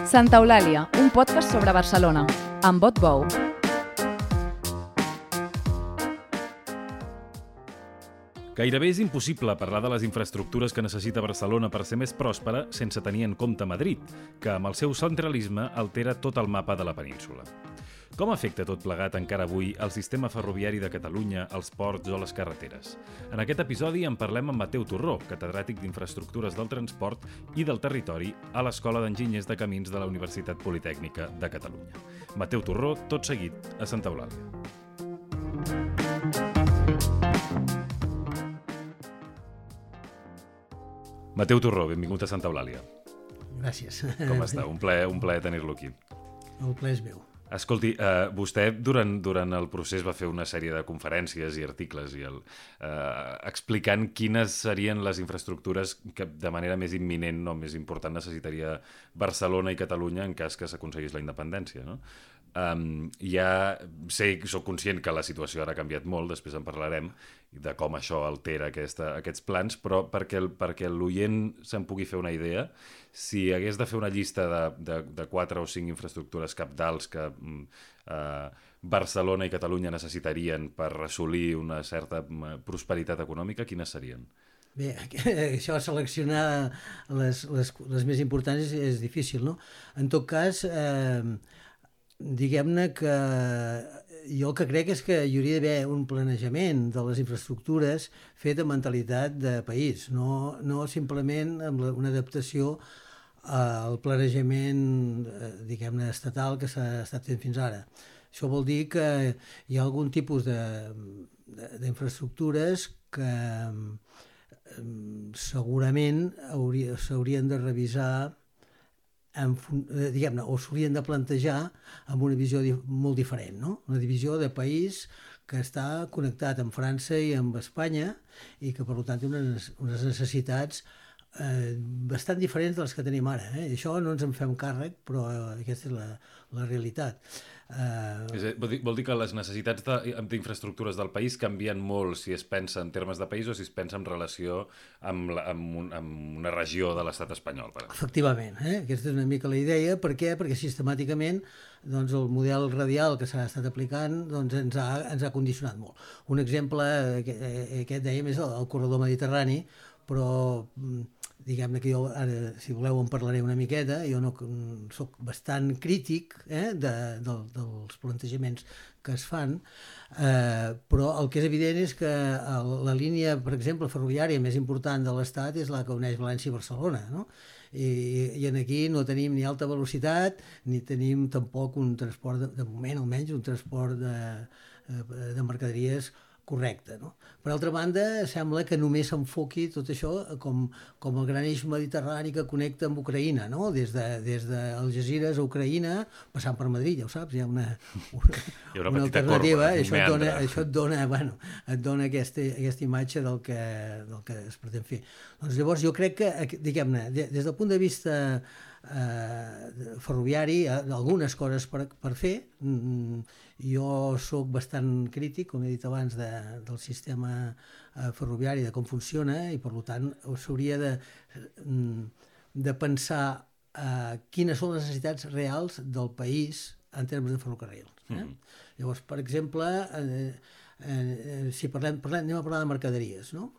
Santa Eulàlia, un podcast sobre Barcelona, amb Bot Bou. Gairebé és impossible parlar de les infraestructures que necessita Barcelona per ser més pròspera sense tenir en compte Madrid, que amb el seu centralisme altera tot el mapa de la península. Com afecta tot plegat encara avui el sistema ferroviari de Catalunya, els ports o les carreteres? En aquest episodi en parlem amb Mateu Torró, catedràtic d'Infraestructures del Transport i del Territori a l'Escola d'Enginyers de Camins de la Universitat Politècnica de Catalunya. Mateu Torró, tot seguit, a Santa Eulàlia. Mateu Torró, benvingut a Santa Eulàlia. Gràcies. Com està? Un plaer tenir-lo aquí. El plaer és meu. Escolti, vostè durant el procés va fer una sèrie de conferències i articles explicant quines serien les infraestructures que de manera més imminent o més important necessitaria Barcelona i Catalunya en cas que s'aconseguís la independència, no? Soc conscient que la situació ara ha canviat molt, després en parlarem, de com això altera aquests plans, però perquè l'oient se'n pugui fer una idea, si hagués de fer una llista de 4 o 5 infraestructures cabdals que Barcelona i Catalunya necessitarien per assolir una certa prosperitat econòmica, quines serien? Bé, això seleccionar les més importants és difícil, no? En tot cas, diguem-ne que jo el que crec és que hi hauria d'haver un planejament de les infraestructures fet amb mentalitat de país, no simplement amb una adaptació al planejament, diguem-ne, estatal que s'ha estat fent fins ara. Això vol dir que hi ha algun tipus d'infraestructures que segurament s'haurien de revisar diguem-ne, o s'haurien de plantejar amb una visió molt diferent, no? Una divisió de país que està connectat amb França i amb Espanya i que, per tant, té unes necessitats bastant diferents de les que tenim ara. Això no ens en fem càrrec, però aquesta és la realitat. Vol dir que les necessitats d'infraestructures del país canvien molt si es pensa en termes de país o si es pensa en relació amb una regió de l'estat espanyol. Efectivament, aquesta és una mica la idea. Per què? Perquè sistemàticament el model radial que s'ha estat aplicant ens ha condicionat molt. Un exemple, aquest dèiem, és el corredor mediterrani, però diguem-ne que jo ara, si voleu, en parlaré una miqueta. Jo soc bastant crític dels plantejaments que es fan, però el que és evident és que la línia, per exemple, ferroviària més important de l'Estat és la que uneix València i Barcelona, no? I aquí no tenim ni alta velocitat ni tenim tampoc un transport, de moment almenys, un transport de mercaderies correcte, no? Per altra banda, sembla que només s'enfoqui tot això com el gran eix mediterrani que connecta amb Ucraïna, no? Des d'Algesires a Ucraïna, passant per Madrid, ja ho saps, hi ha una alternativa. Corba, això et dona aquesta imatge del que es pretén fer. Doncs llavors jo crec que, diguem-ne, des del punt de vista ferroviari, algunes coses per fer. Jo soc bastant crític, com he dit abans, del sistema ferroviari, de com funciona, i per tant s'hauria de pensar quines són les necessitats reals del país en termes de ferrocarrils. Llavors, per exemple, si anem a parlar de mercaderies, no?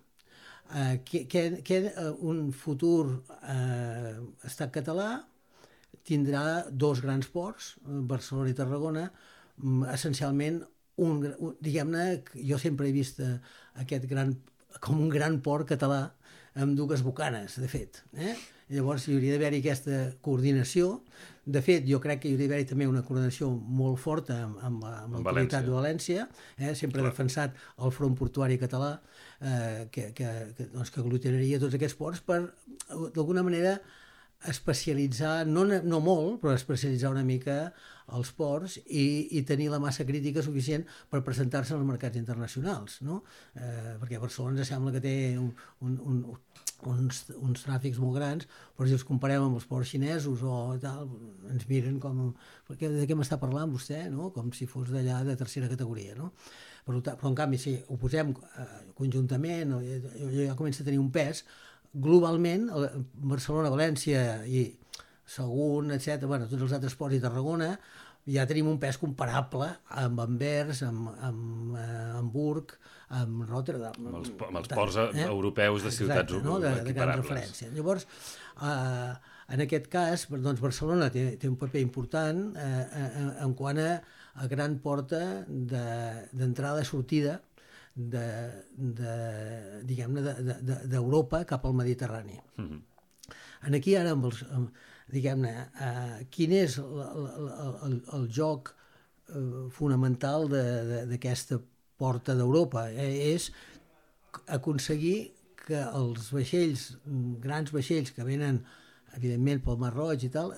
Un futur estat català tindrà dos grans ports, Barcelona i Tarragona, essencialment, diguem-ne, jo sempre he vist aquest com un gran port català amb dues bocanes, de fet. Llavors hi hauria d'haver-hi aquesta coordinació. De fet, jo crec que hi hauria d'haver-hi també una coordinació molt forta amb l'autoritat de València. Sempre he defensat el front portuari català, que aglutinaria tots aquests ports per, d'alguna manera, especialitzar, no molt, però especialitzar una mica els ports i tenir la massa crítica suficient per presentar-se als mercats internacionals, no? Perquè Barcelona ens sembla que té uns tràfics molt grans, però si els comparem amb els ports xinesos o tal, ens miren com... De què m'està parlant vostè? No? Com si fos d'allà de tercera categoria, no? Però en canvi, si ho posem conjuntament, ja comença a tenir un pes. Globalment, Barcelona, València i Sagunt, etc. Bueno, tots els altres ports i Tarragona, ja tenim un pes comparable amb Anvers, amb Hamburg, amb Rotterdam. Amb els ports europeus de ciutats equiparables. De gran referència. Llavors, en aquest cas, doncs Barcelona té un paper important en quant a gran porta d'entrada i sortida d'Europa cap al Mediterrani. Aquí ara, diguem-ne, quin és el joc fonamental d'aquesta porta d'Europa? És aconseguir que els vaixells, grans vaixells que venen, evidentment, pel Mar Roig i tal,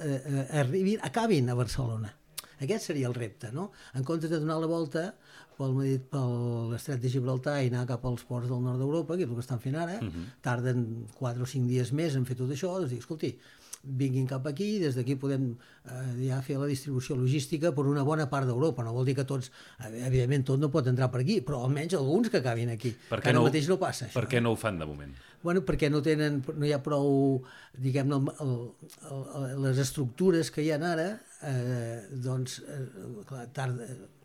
acabin a Barcelona. Aquest seria el repte, no? En comptes de donar la volta per l'estret de Gibraltar i anar cap als ports del nord d'Europa, que és el que estan fent ara, tarden 4 o 5 dies més en fer tot això, doncs dic, escolti, vinguin cap aquí, des d'aquí podem ja fer la distribució logística per una bona part d'Europa. No vol dir que tots, evidentment tot no pot entrar per aquí, però almenys alguns que acabin aquí. Ara mateix no passa això. Per què no ho fan de moment? Bueno, perquè no hi ha prou, diguem-ne, les estructures que hi ha ara, doncs, clar,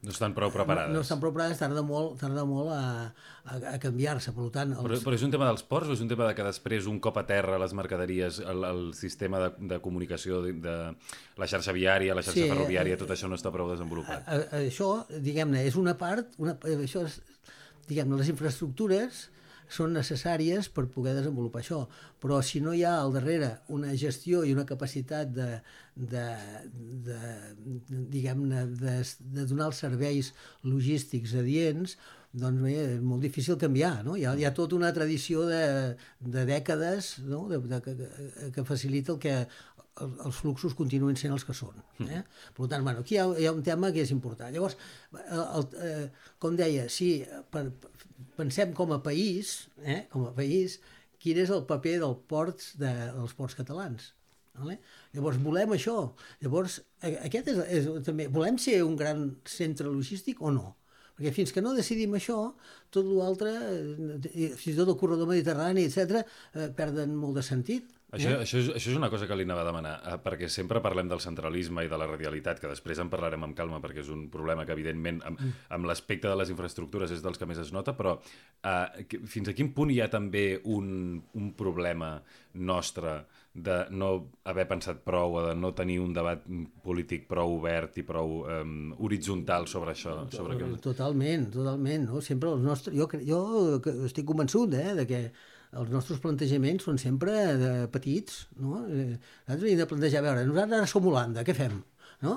no estan prou preparades. No estan prou preparades, tarda molt a canviar-se, per tant... Però és un tema dels ports o és un tema de que després, un cop a terra, les mercaderies, el sistema de comunicació de la xarxa viària, la xarxa ferroviària, tot això no està prou desenvolupat? Això, diguem-ne, és una part, diguem-ne, les infraestructures són necessàries per poder desenvolupar això, però si no hi ha al darrere una gestió i una capacitat diguem-ne, de donar els serveis logístics adients, doncs bé, és molt difícil canviar, no? Hi ha tota una tradició de dècades, no? que facilita que els fluxos continuïn sent els que són. Per tant, bueno, aquí hi ha un tema que és important. Llavors, com deia, si pensem com a país, quin és el paper dels ports catalans. Llavors, volem això. Llavors, aquest és també... Volem ser un gran centre logístic o no? Perquè fins que no decidim això, tot l'altre, fins i tot el corredor mediterrani, etc., perden molt de sentit. Això és una cosa que li anava a demanar, perquè sempre parlem del centralisme i de la radialitat, que després en parlarem amb calma, perquè és un problema que, evidentment, amb l'aspecte de les infraestructures és dels que més es nota, però fins a quin punt hi ha també un problema nostre de no haver pensat prou, o de no tenir un debat polític prou obert i prou horitzontal sobre això? Totalment, no? Sempre els nostres... Jo estic convençut de que els nostres plantejaments són sempre petits, no? Nosaltres hem de plantejar, a veure, nosaltres ara som Holanda, què fem? No?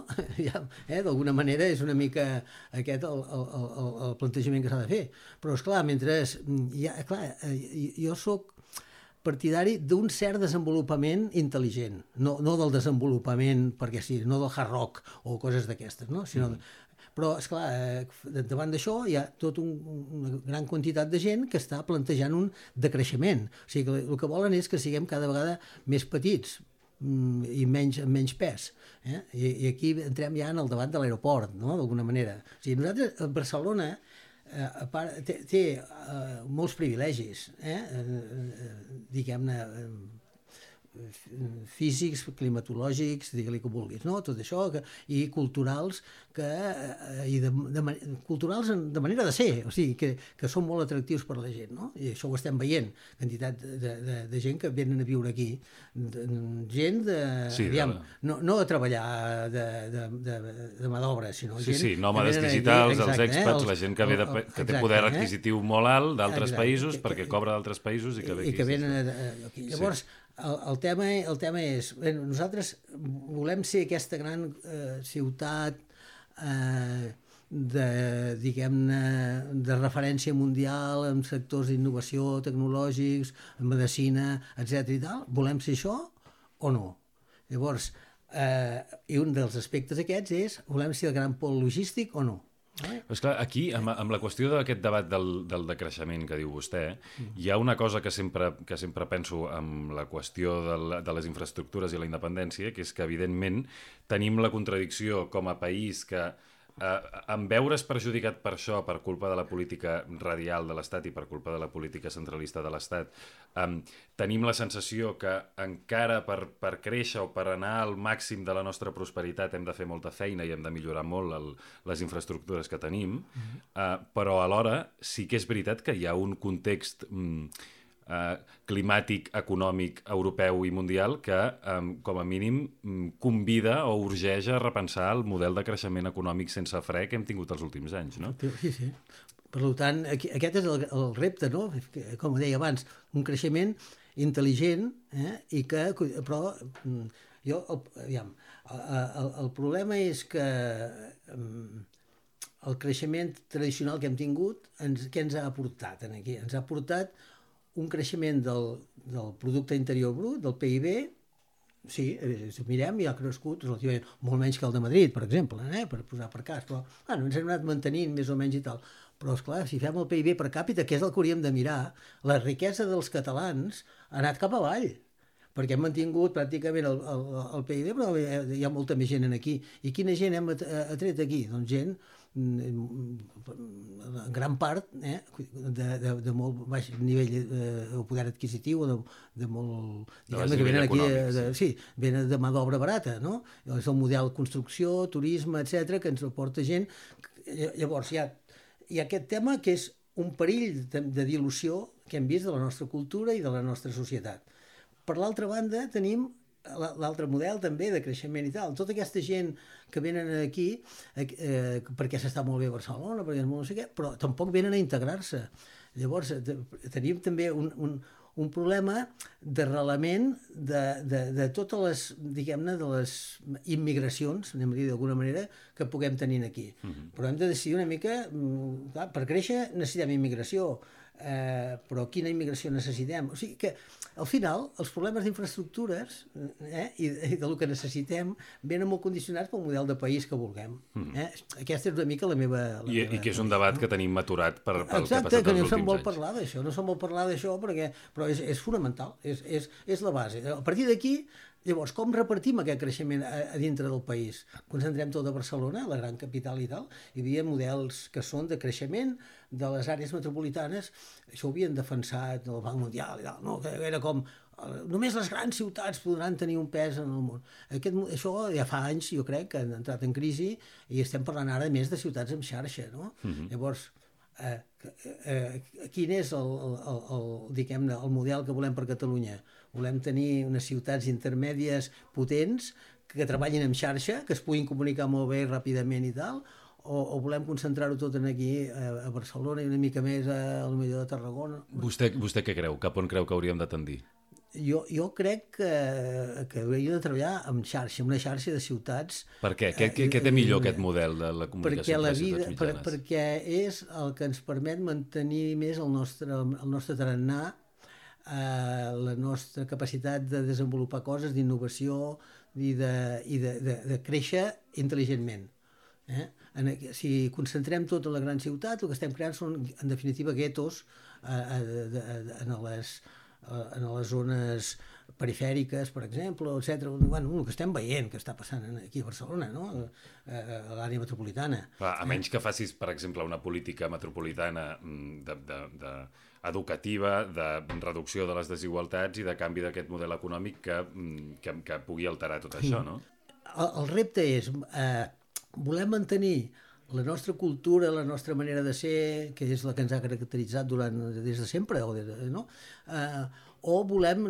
D'alguna manera és una mica aquest el plantejament que s'ha de fer. Però, esclar, jo sóc partidari d'un cert desenvolupament intel·ligent, no del desenvolupament perquè sí, no del hard rock o coses d'aquestes, no? Sinó però, esclar, davant d'això hi ha tota una gran quantitat de gent que està plantejant un decreixement. O sigui, que el que volen és que siguem cada vegada més petits i amb menys pes. I aquí entrem ja en el debat de l'aeroport, no?, d'alguna manera. O sigui, nosaltres, a Barcelona, té molts privilegis, diguem-ne, físics, climatològics, digue-li com vulguis, no? Tot això, i culturals, culturals de manera de ser, o sigui, que són molt atractius per la gent, no? I això ho estem veient, quantitat de gent que venen a viure aquí, gent no a treballar de mà d'obra, sinó gent... Sí, nòmades digitals, els expats, la gent que té poder adquisitiu molt alt d'altres països, perquè cobra d'altres països i que ve aquí. I que venen aquí. Llavors, el tema és, nosaltres volem ser aquesta gran ciutat diguem-ne, de referència mundial en sectors d'innovació tecnològics, en medicina, etc. i tal. Volem ser això o no? Llavors, i un dels aspectes aquests és, volem ser el gran pol logístic o no? Però esclar, aquí, amb la qüestió d'aquest debat del decreixement que diu vostè, hi ha una cosa que sempre penso amb la qüestió de les infraestructures i la independència, que és que, evidentment, tenim la contradicció com a país que en veure's perjudicat per això, per culpa de la política radial de l'Estat i per culpa de la política centralista de l'Estat, tenim la sensació que encara per créixer o per anar al màxim de la nostra prosperitat hem de fer molta feina i hem de millorar molt les infraestructures que tenim, però alhora sí que és veritat que hi ha un context climàtic, econòmic, europeu i mundial que, com a mínim, convida o urgeix a repensar el model de creixement econòmic sense fre que hem tingut els últims anys, no? Sí, sí. Per tant, aquest és el repte, no? Com deia abans, un creixement intel·ligent, i que, però jo, aviam, el problema és que el creixement tradicional que hem tingut, què ens ha aportat aquí? Ens ha aportat un creixement del producte interior brut, del PIB, sí, si ho mirem, ja ha crescut relativament molt menys que el de Madrid, per exemple, per posar per cas, però ens hem anat mantenint més o menys i tal. Però, esclar, si fem el PIB per càpita, que és el que hauríem de mirar, la riquesa dels catalans ha anat cap avall, perquè hem mantingut pràcticament el PIB, però hi ha molta més gent aquí. I quina gent hem atret aquí? Doncs gent, en gran part, de molt baix nivell o poder adquisitiu, de molt... que venen aquí, sí, venen de mà d'obra barata, no? És el model construcció, turisme, etc que ens aporta gent. Llavors, hi ha aquest tema que és un perill de dilució que hem vist de la nostra cultura i de la nostra societat. Per l'altra banda, tenim l'altre model també de creixement i tal. Tota aquesta gent que venen aquí perquè s'està molt bé a Barcelona, perquè és molt no sé què, però tampoc venen a integrar-se. Llavors, tenim també un problema d'arrelament de totes les, diguem-ne, de les immigracions, anem a dir d'alguna manera, que puguem tenir aquí. Però hem de decidir una mica, clar, per créixer necessitem immigració, però quina immigració necessitem? O sigui que, al final, els problemes d'infraestructures i del que necessitem venen molt condicionats pel model de país que vulguem. Aquesta és una mica la meva... I que és un debat que tenim aturat pel que ha passat els últims anys. Exacte, que no se'n vol parlar d'això, però és fonamental, és la base. A partir d'aquí, llavors, com repartim aquest creixement a dintre del país? Concentrem tot a Barcelona, la gran capital i tal. Hi havia models que són de creixement de les àrees metropolitanes. Això ho havien defensat el Banc Mundial i tal, no? Que era com només les grans ciutats podran tenir un pes en el món. Això ja fa anys, jo crec, que han entrat en crisi i estem parlant ara més de ciutats en xarxa, no? Llavors, quin és diguem-ne, el model que volem per Catalunya? Volem tenir unes ciutats intermèdies potents que treballin en xarxa, que es puguin comunicar molt bé ràpidament i tal, o volem concentrar-ho tot aquí a Barcelona i una mica més a millor de Tarragona? Vostè què creu? Cap on creu que hauríem de tendir? Jo crec que hauríem de treballar en xarxa, en una xarxa de ciutats. Per què? Què té millor aquest model de la comunicació entre ciutats mitjanes? Perquè és el que ens permet mantenir més el nostre tarannà, la nostra capacitat de desenvolupar coses, d'innovació i de créixer intel·ligentment. Si concentrem tot a la gran ciutat, el que estem creant són, en definitiva, guetos en les zones perifèriques, per exemple, etc. Bueno, el que estem veient que està passant aquí a Barcelona, no? A l'àrea metropolitana. A menys que facis, per exemple, una política metropolitana educativa, de reducció de les desigualtats i de canvi d'aquest model econòmic que pugui alterar tot això, no? El repte és, volem mantenir la nostra cultura, la nostra manera de ser, que és la que ens ha caracteritzat des de sempre, no? O volem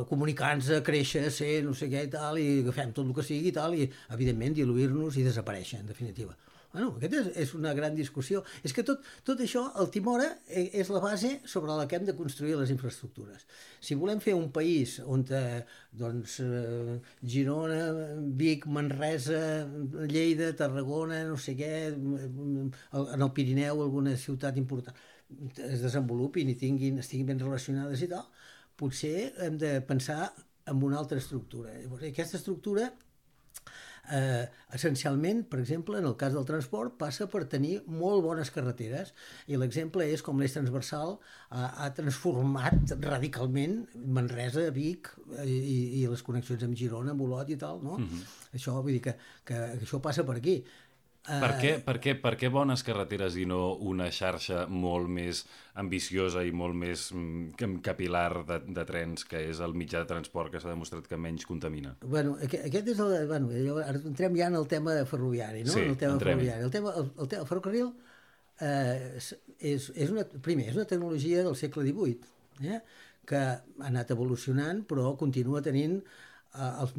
comunicar-nos, créixer, ser no sé què i tal, i agafem tot el que sigui i tal, i evidentment diluir-nos i desaparèixer, en definitiva. Bueno, aquesta és una gran discussió. És que tot això, el Timora, és la base sobre la que hem de construir les infraestructures. Si volem fer un país on Girona, Vic, Manresa, Lleida, Tarragona, no sé què, en el Pirineu, alguna ciutat important, es desenvolupin i estiguin ben relacionades i tal, potser hem de pensar en una altra estructura. Llavors, aquesta estructura essencialment, per exemple, en el cas del transport, passa per tenir molt bones carreteres, i l'exemple és com l'eix transversal ha transformat radicalment Manresa, Vic i les connexions amb Girona, amb Olot i tal, no? Això vull dir que això passa per aquí. Per què bones carreteres i no una xarxa molt més ambiciosa i molt més capilar de trens, que és el mitjà de transport que s'ha demostrat que menys contamina? Bueno, aquest és el... Bueno, ara entrem ja en el tema ferroviari, no? Sí, el tema entrem-hi. ferroviari. El ferrocarril és una tecnologia del segle XVIII, que ha anat evolucionant, però continua tenint el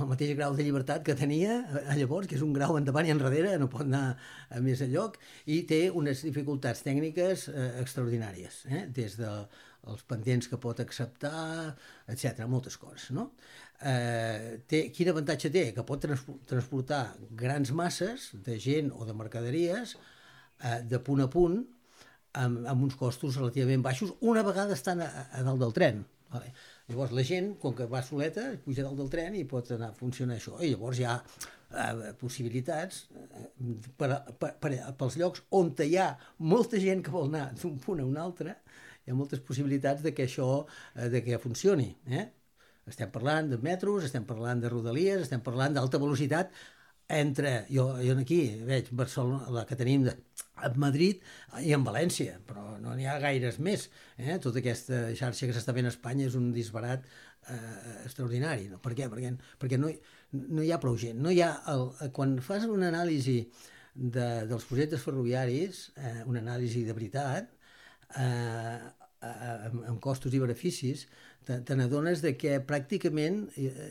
mateix grau de llibertat que tenia llavors, que és un grau endavant i enrere, no pot anar a més enlloc, i té unes dificultats tècniques extraordinàries, des dels pendents que pot acceptar, etc, moltes coses, no? Quin avantatge té? Que pot transportar grans masses de gent o de mercaderies de punt a punt amb uns costos relativament baixos una vegada estan a dalt del tren. Vale. Llavors la gent, com que va soleta, puja dalt del tren i pot anar a funcionar això. I llavors hi ha possibilitats pels llocs on hi ha molta gent que vol anar d'un punt a un altre, hi ha moltes possibilitats de que això funcioni. Estem parlant de metros, estem parlant de rodalies, estem parlant d'alta velocitat entre, jo aquí veig Barcelona, la que tenim a Madrid i en València, però no n'hi ha gaires més. Tota aquesta xarxa que s'està fent a Espanya és un disbarat extraordinari. No? Per què? Perquè no hi ha prou gent. No hi ha quan fas una anàlisi dels projectes ferroviaris, una anàlisi de veritat, amb costos i beneficis, te n'adones que pràcticament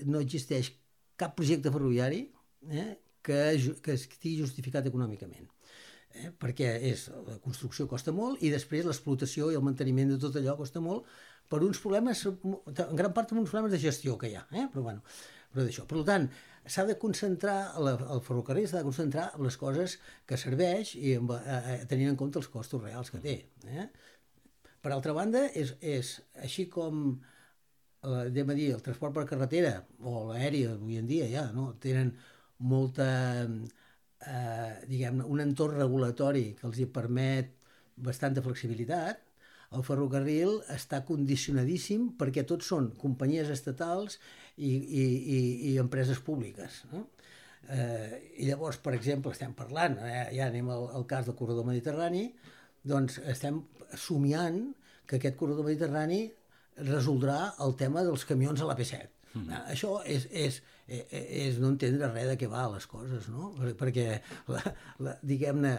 no existeix cap projecte ferroviari que estigui justificat econòmicament. Perquè la construcció costa molt i després l'explotació i el manteniment de tot allò costa molt per uns problemes, en gran part per uns problemes de gestió que hi ha, però d'això. Per tant, s'ha de concentrar, el ferrocarril s'ha de concentrar en les coses que serveix i tenint en compte els costos reals que té. Per altra banda, és així com el transport per carretera o l'aeri avui en dia ja tenen molta, diguem-ne, un entorn regulatori que els hi permet bastanta flexibilitat. El ferrocarril està condicionadíssim perquè tots són companyies estatals i empreses públiques. I llavors, per exemple, estem parlant, ja anem al cas del corredor mediterrani, doncs estem somiant que aquest corredor mediterrani resoldrà el tema dels camions a l'AP7. Això és no entendre res de què va les coses, no? Perquè, diguem-ne,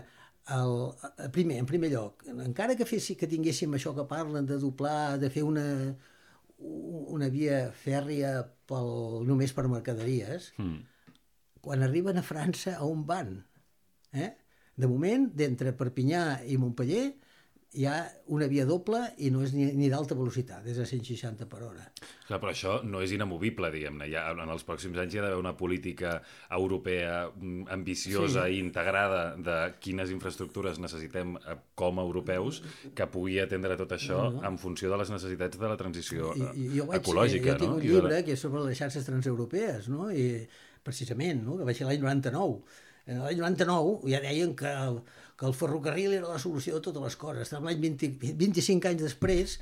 en primer lloc, encara que tinguéssim això que parlen de doblar, de fer una via fèrria només per mercaderies, quan arriben a França, a on van? De moment, d'entre Perpinyà i Montpeller, hi ha una via doble i no és ni d'alta velocitat, és a 160 per hora. Clar, però això no és inamovible, diguem-ne. En els pròxims anys hi ha d'haver una política europea ambiciosa i integrada de quines infraestructures necessitem com a europeus que pugui atendre tot això en funció de les necessitats de la transició ecològica. Jo tinc un llibre que és sobre les xarxes transeuropees, i precisament, que va ser l'any 99. En l'any 99 ja deien que el ferrocarril era la solució de totes les coses. Estem l'any 25 anys després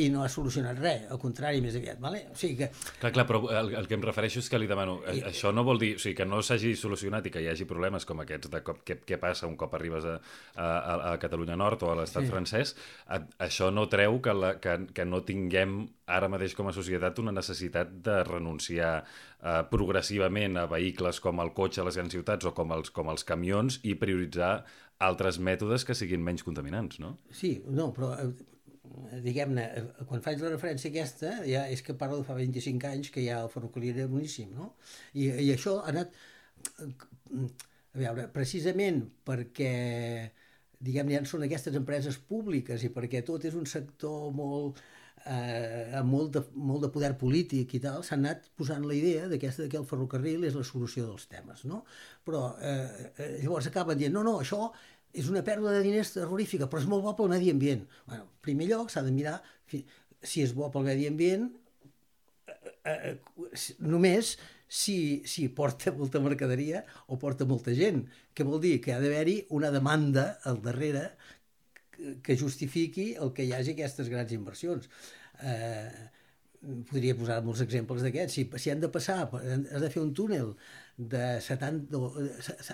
i no ha solucionat res, al contrari, més aviat. Vale? O sigui que... Clar, però el que em refereixo és que li demano, això no vol dir, o sigui, que no s'hagi solucionat i que hi hagi problemes com aquests de què passa un cop arribes a Catalunya Nord o a l'estat francès, això no treu que no tinguem ara mateix com a societat una necessitat de renunciar progressivament a vehicles com el cotxe a les grans ciutats o com els camions i prioritzar altres mètodes que siguin menys contaminants, no? Sí, no, però diguem-ne, quan faig la referència aquesta, ja és que parlo de fa 25 anys que ja el ferrocarril era boníssim, no? I això ha anat, a veure, precisament perquè, diguem-ne, ja són aquestes empreses públiques i perquè tot és un sector amb molt de poder polític i tal, s'ha anat posant la idea que el ferrocarril és la solució dels temes, no? Però llavors acaben dient, no, això és una pèrdua de diners terrorífica, però és molt bo pel medi ambient. Bueno, en primer lloc s'ha de mirar si és bo pel medi ambient només si porta molta mercaderia o porta molta gent, que vol dir que ha d'haver-hi una demanda al darrere que justifiqui el que hi hagi aquestes grans inversions. podria posar molts exemples d'aquests. Si han de passar, has de fer un túnel de 70,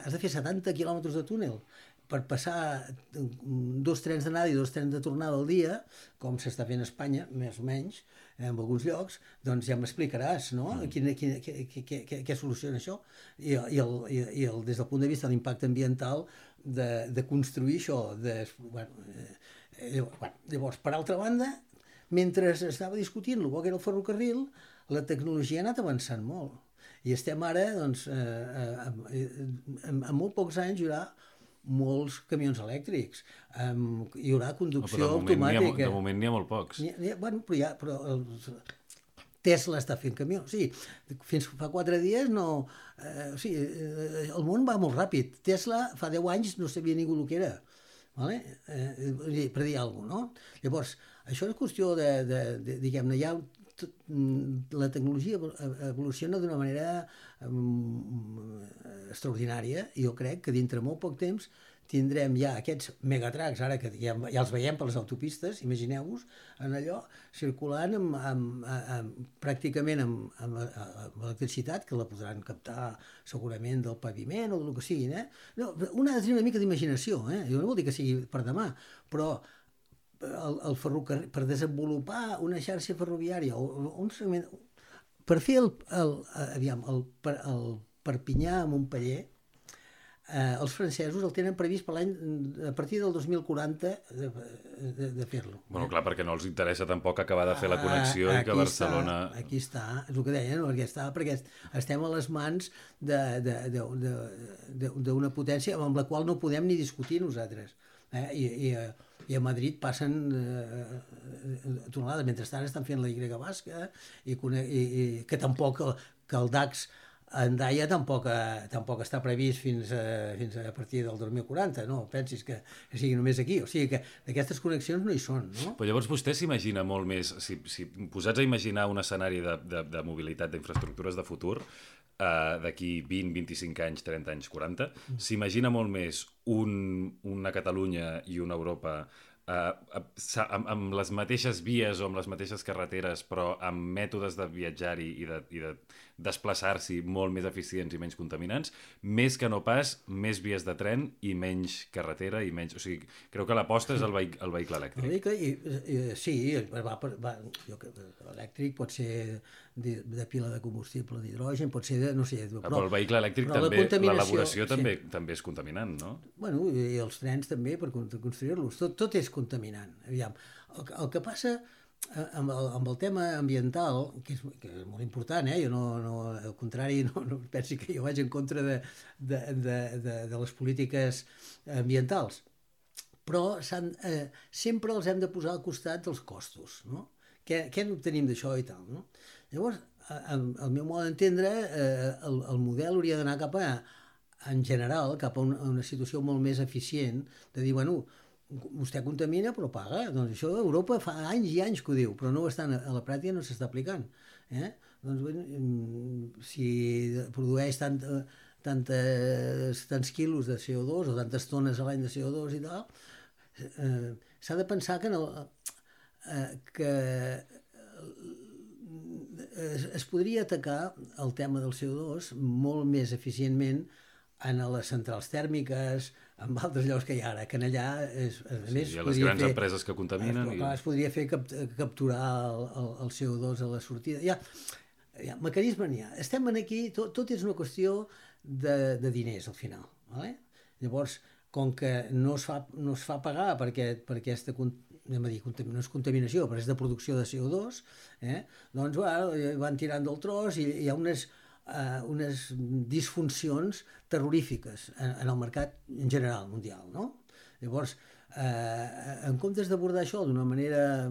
has de fer 70 quilòmetres de túnel per passar 2 trens d'anada i 2 trens de tornada al dia, com s'està fent a Espanya, més o menys, en alguns llocs, doncs ja m'explicaràs, no? Què soluciona això? I des del punt de vista de l'impacte ambiental de construir això. Llavors, per altra banda, mentre estava discutint el que era el ferrocarril, la tecnologia ha anat avançant molt. I estem ara, doncs, en molt pocs anys hi haurà molts camions elèctrics, hi haurà conducció automàtica. De moment n'hi ha molt pocs. Però Tesla està fent camions. Sí, fins fa 4 dies no... el món va molt ràpid. Tesla fa 10 anys no sabia ningú el que era. Vale? Per dir alguna cosa, no? Llavors, això és qüestió diguem-ne, ja la tecnologia evoluciona d'una manera extraordinària i jo crec que dintre molt poc temps tindrem ja aquests megatracs, ara que ja els veiem per les autopistes, imagineu-vos, en allò circulant pràcticament amb electricitat, que la podran captar segurament del paviment o del que sigui. No, un ha de tenir una mica d'imaginació, jo no vol dir que sigui per demà, però el ferrocarril, per desenvolupar una xarxa ferroviària o un segment, per fer el Perpinyà a Montpeller, els francesos el tenen previst per a partir del 2040 de fer-lo. Bueno, clar, perquè no els interessa tampoc acabar de fer la connexió i que Barcelona... Aquí està, és el que deien, perquè estem a les mans d'una potència amb la qual no podem ni discutir nosaltres. I a Madrid passen tonelades. Mentrestant estan fent la Y basca i que tampoc que el DAX a Hendaia tampoc està previst fins a partir del 2040, no pensis que sigui només aquí, o sigui que aquestes connexions no hi són, no? Però llavors vostè s'imagina molt més, si posats a imaginar un escenari de mobilitat, d'infraestructures de futur, d'aquí 20, 25 anys, 30 anys, 40, s'imagina molt més una Catalunya i una Europa amb les mateixes vies o amb les mateixes carreteres, però amb mètodes de viatjar-hi i de desplaçar-s'hi molt més eficients i menys contaminants, més que no pas més vies de tren i menys carretera i menys... O sigui, creu que l'aposta és el vehicle elèctric. El vehicle, sí, elèctric pot ser de pila de combustible d'hidrogen, pot ser de, no sé... Però el vehicle elèctric també, l'elaboració també és contaminant, no? Bueno, i els trens també, per construir-los. Tot és contaminant. Aviam, el que passa amb el tema ambiental, que és molt important, jo no, al contrari, no pensi que jo vaig en contra de les polítiques ambientals, però sempre els hem de posar al costat dels costos, no? Què n'obtenim d'això i tal, no? Llavors, al meu mode d'entendre, el model hauria d'anar en general, cap a una situació molt més eficient, de dir, bueno, vostè contamina però paga. Doncs això Europa fa anys i anys que ho diu, però no a la pràctica no s'està aplicant. Doncs si produeix tants quilos de CO2 o tantes tones a l'any de CO2 i tal, s'ha de pensar que es podria atacar el tema del CO2 molt més eficientment en les centrals tèrmiques, en altres llocs que hi ha ara, que allà hi ha les grans empreses que contaminen. Es podria fer capturar el CO2 a la sortida. Hi ha mecanisme n'hi ha. Estem aquí, tot és una qüestió de diners al final. Llavors, com que no es fa pagar perquè aquesta no és contaminació, però és de producció de CO2, doncs van tirant del tros i hi ha unes disfuncions terrorífiques en el mercat en general mundial, no? Llavors, en comptes d'abordar això d'una manera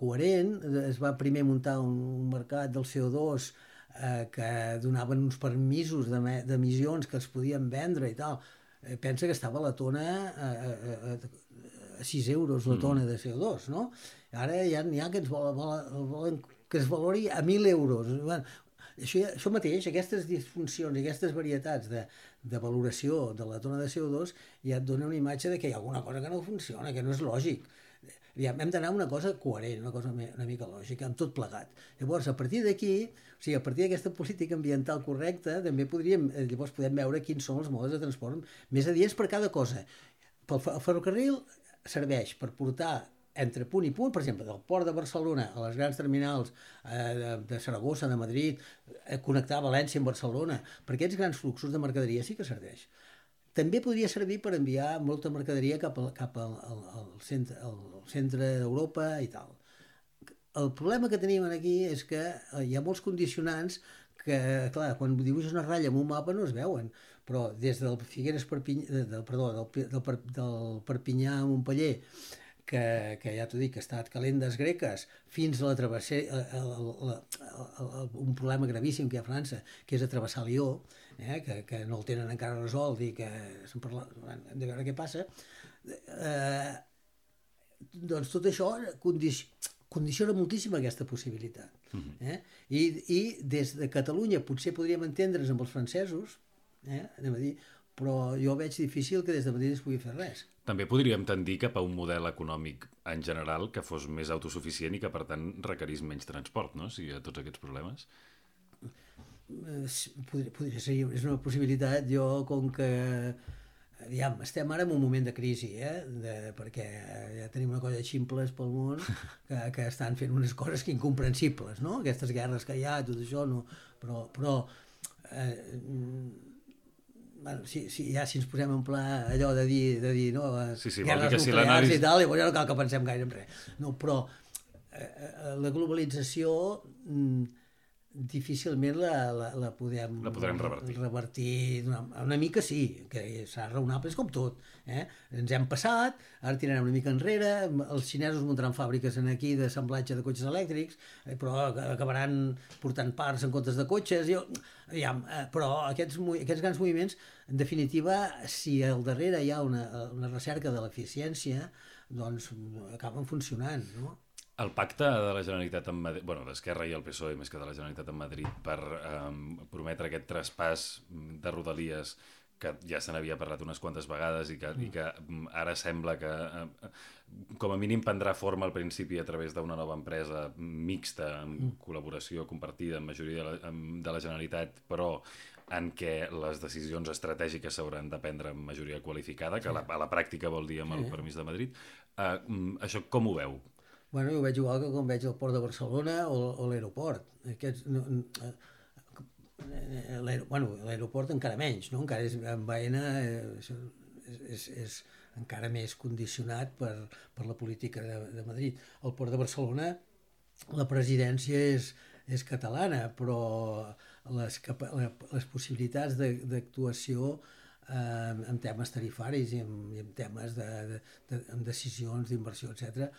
coherent, es va primer muntar un mercat del CO2 que donaven uns permisos d'emissions que es podien vendre i tal. Pensa que estava la tona a 6 euros la tona de CO2, no? Ara n'hi ha que ens volen que es valori a 1.000 euros. Això mateix, aquestes disfuncions i aquestes varietats de valoració de la tona de CO2 ja et dona una imatge de que hi ha alguna cosa que no funciona, que no és lògic. Hem d'anar a una cosa coherent, una cosa una mica lògica, amb tot plegat. Llavors, a partir d'aquí, o sigui, a partir d'aquesta política ambiental correcta, també llavors podem veure quins són els modes de transport més adients per cada cosa. El ferrocarril serveix per portar entre punt i punt, per exemple, del port de Barcelona a les grans terminals de Saragossa, de Madrid, connectar València amb Barcelona, per aquests grans fluxos de mercaderia sí que serveix. També podria servir per enviar molta mercaderia cap al centre d'Europa i tal. El problema que tenim aquí és que hi ha molts condicionants que, clar, quan dibuixes una ratlla en un mapa no es veuen, però des del Figueres del Perpinyà a Montpeller, que ja t'ho dic, que ha estat calendes greques, fins a la travessera, un problema gravíssim que hi ha a França, que és travessar Lió, que no el tenen encara resolt i que hem de veure què passa. Doncs tot això condiciona moltíssim aquesta possibilitat. I des de Catalunya potser podríem entendre's amb els francesos, anem a dir, però jo veig difícil que des de Madrid es pugui fer res. També podríem tendir cap a un model econòmic en general que fos més autosuficient i que, per tant, requerís menys transport, no?, si hi ha tots aquests problemes. Podria ser, és una possibilitat. Jo, com que estem ara en un moment de crisi, perquè ja tenim una colla de ximples pel món que estan fent unes coses incomprensibles, no? Aquestes guerres que hi ha, tot això, no? Però si ens posem en pla allò de dir no, guerres nuclears i tal, llavors ja no cal que pensem gaire en res. No, però la globalització difícilment la podem revertir una mica, sí, que serà raonable, és com tot. Ens hem passat, ara tirarem una mica enrere, els xinesos muntaran fàbriques aquí d'assemblatge de cotxes elèctrics, però acabaran portant parts en comptes de cotxes, però aquests grans moviments, en definitiva, si al darrere hi ha una recerca de l'eficiència, doncs acaben funcionant, no? El pacte de la Generalitat amb Madrid, d'Esquerra i el PSOE, més que de la Generalitat amb Madrid, per prometre aquest traspàs de Rodalies que ja se n'havia parlat unes quantes vegades i que ara sembla que com a mínim prendrà forma al principi a través d'una nova empresa mixta, amb col·laboració compartida amb majoria de la Generalitat, però en què les decisions estratègiques s'hauran de prendre amb majoria qualificada, que a la pràctica vol dir amb el permís de Madrid. Això com ho veu? Bueno, jo ho veig igual que quan veig el port de Barcelona o l'aeroport. L'aeroport encara menys, no? Encara és en Baena, és encara més condicionat per la política de Madrid. El port de Barcelona, la presidència és catalana, però les possibilitats d'actuació en temes tarifaris i en temes de decisions d'inversió, etc.,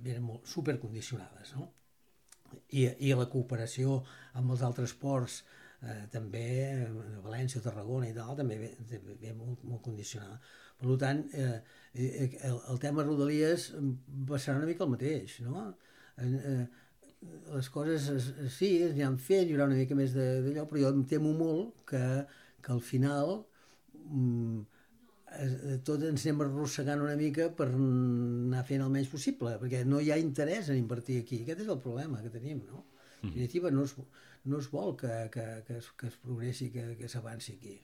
eren molt supercondicionades, no? I la cooperació amb els altres ports, també València o Tarragona i tal, també ve molt condicionada. Per tant, el tema Rodalies serà una mica el mateix, no? Les coses, sí, es aniran fent, hi haurà una mica més d'allò, però jo em temo molt que al final tots ens anem arrossegant una mica per anar fent el menys possible, perquè no hi ha interès en invertir aquí. Aquest és el problema que tenim, no? En definitiva, no es vol que es progressi, que s'avanci aquí.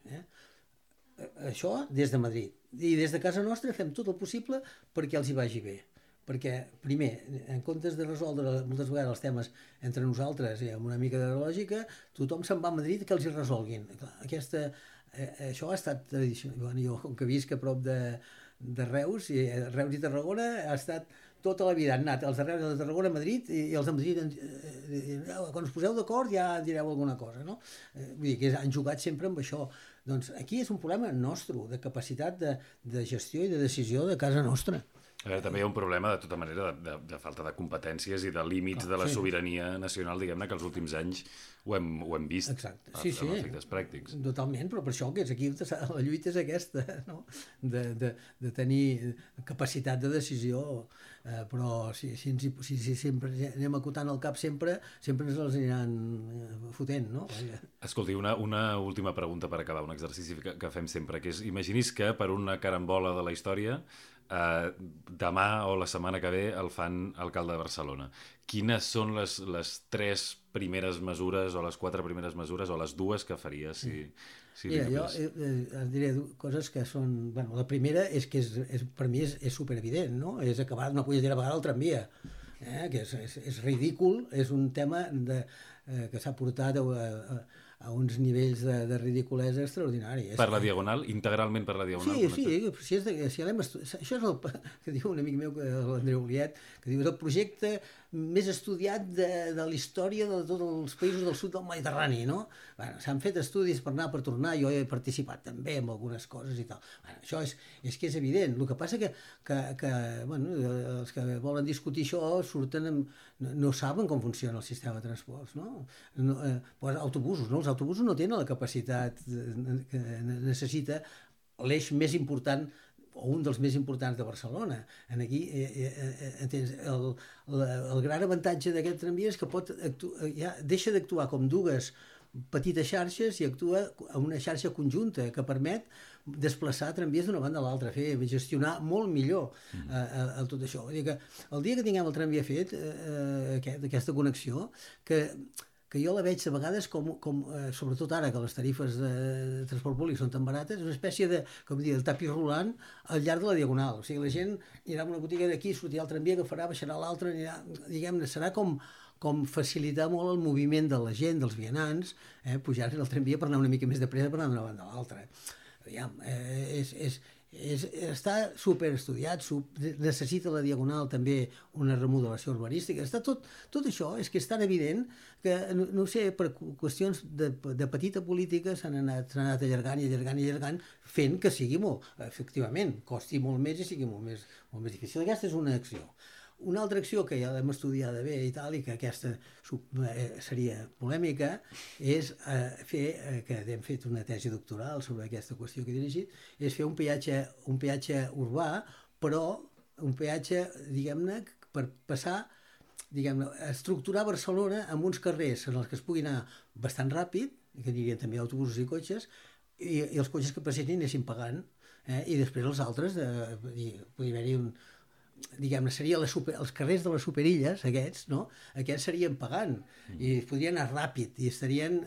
Això des de Madrid. I des de casa nostra fem tot el possible perquè els hi vagi bé. Perquè, primer, en comptes de resoldre moltes vegades els temes entre nosaltres i amb una mica de lògica, tothom se'n va a Madrid que els hi resolguin. Això ha estat tradicional. Jo, com que visc a prop de Reus, Reus i Tarragona, ha estat tota la vida. Han anat els de Reus i els de Tarragona a Madrid i els de Madrid, quan us poseu d'acord ja direu alguna cosa, no? Vull dir que han jugat sempre amb això. Doncs aquí és un problema nostre, de capacitat de gestió i de decisió de casa nostra. A veure, també hi ha un problema, de tota manera, de falta de competències i de límits de la sobirania nacional, diguem-ne, que els últims anys ho hem vist. Exacte. Sí, amb efectes pràctics. Totalment, però per això que és aquí la lluita és aquesta, no? De tenir capacitat de decisió, però si sempre anem acotant el cap sempre ens els aniran fotent, no? Escolti, una última pregunta per acabar, un exercici que fem sempre, que és, imaginis que per una carambola de la història demà o la setmana que ve el fan alcalde de Barcelona. Quines són les 3 primeres mesures o les 4 primeres mesures o les 2 que faries si Mira, jo et diré coses que són... Bueno, la primera és que per mi és superevident, no? És acabar una punyetera vegada el tramvia, que és ridícul, és un tema que s'ha portat a uns nivells de ridiculesa extraordinari. Per la Diagonal? Integralment per la Diagonal? Sí, això és el que diu un amic meu, l'Andreu Oliet, que diu és el projecte més estudiat de la història de tots els països del sud del Mediterrani, no? Bueno, s'han fet estudis per anar, per tornar, jo he participat també en algunes coses i tal. Bueno, això és que és evident. El que passa que els que volen discutir això no saben com funciona el sistema de transports, no? Autobusos, no? Els autobusos no tenen la capacitat que necessita l'eix més important o un dels més importants de Barcelona. Aquí, entens, el gran avantatge d'aquest tramvia és que deixa d'actuar com 2 petites xarxes i actua en una xarxa conjunta que permet desplaçar tramvies d'una banda a l'altra, gestionar molt millor tot això. Vull dir que el dia que tinguem el tramvia fet, aquesta connexió, que jo la veig a vegades com sobretot ara que les tarifes de transport públic són tan barates, una espècie de tapis rolant al llarg de la Diagonal. O sigui, la gent anirà a una botiga d'aquí, sortirà el tramvia, agafarà, baixarà l'altre, diguem-ne, serà com facilitar molt el moviment de la gent, dels vianants, pujar en el tramvia per anar una mica més de pressa per anar d'una banda a l'altra. Està superestudiat, necessita la Diagonal també una remodelació urbanística. Tot això és que és tan evident que, no sé, per qüestions de petita política s'han anat allargant fent que sigui efectivament, costi molt més i sigui molt més difícil. Aquesta és una acció. Una altra acció que ja l'hem estudiada bé i tal, i que aquesta seria polèmica, és que hem fet una tesi doctoral sobre aquesta qüestió que he dirigit, és fer un peatge urbà, però un peatge, diguem-ne, per passar, a estructurar Barcelona amb uns carrers en els que es pugui anar bastant ràpid, que anirien també autobusos i cotxes, i els cotxes que passessin anessin pagant, i després els altres, podria haver-hi diguem-ne, serien els carrers de les superilles, aquests, no? Aquests serien pagant i podrien anar ràpid i estarien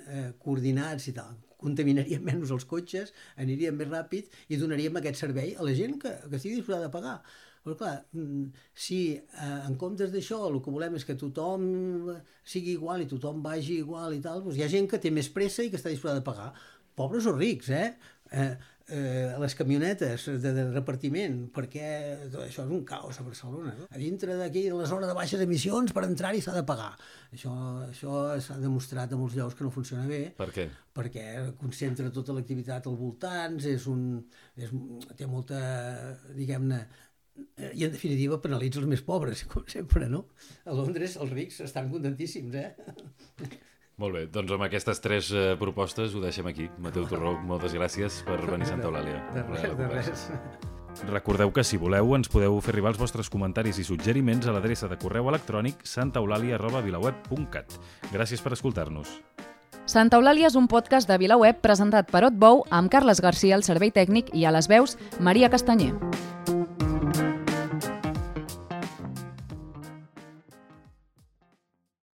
coordinats i tal. Contaminarien menys els cotxes, anirien més ràpid i donaríem aquest servei a la gent que estigui disposada a pagar. Però clar, si en comptes d'això el que volem és que tothom sigui igual i tothom vagi igual i tal, doncs hi ha gent que té més pressa i que està disposada a pagar. Pobres o rics, les camionetes de repartiment, perquè això és un caos a Barcelona. A dintre d'aquí, la zona de baixes emissions, per entrar-hi s'ha de pagar. Això s'ha demostrat a molts llocs que no funciona bé. Per què? Perquè concentra tota l'activitat al voltant, té molta, diguem-ne, i en definitiva penalitza els més pobres, com sempre, no? A Londres els rics estan contentíssims, Molt bé, doncs amb aquestes 3 propostes ho deixem aquí. Mateu Torró, moltes gràcies per venir a Santa Eulàlia. De res. Recordeu que si voleu ens podeu fer arribar els vostres comentaris i suggeriments a l'adreça de correu electrònic santaeulalia@vilaweb.cat. Gràcies per escoltar-nos. Santa Eulàlia és un podcast de VilaWeb presentat per Otbou amb Carles Garcia al servei tècnic i a les veus Maria Castanyer.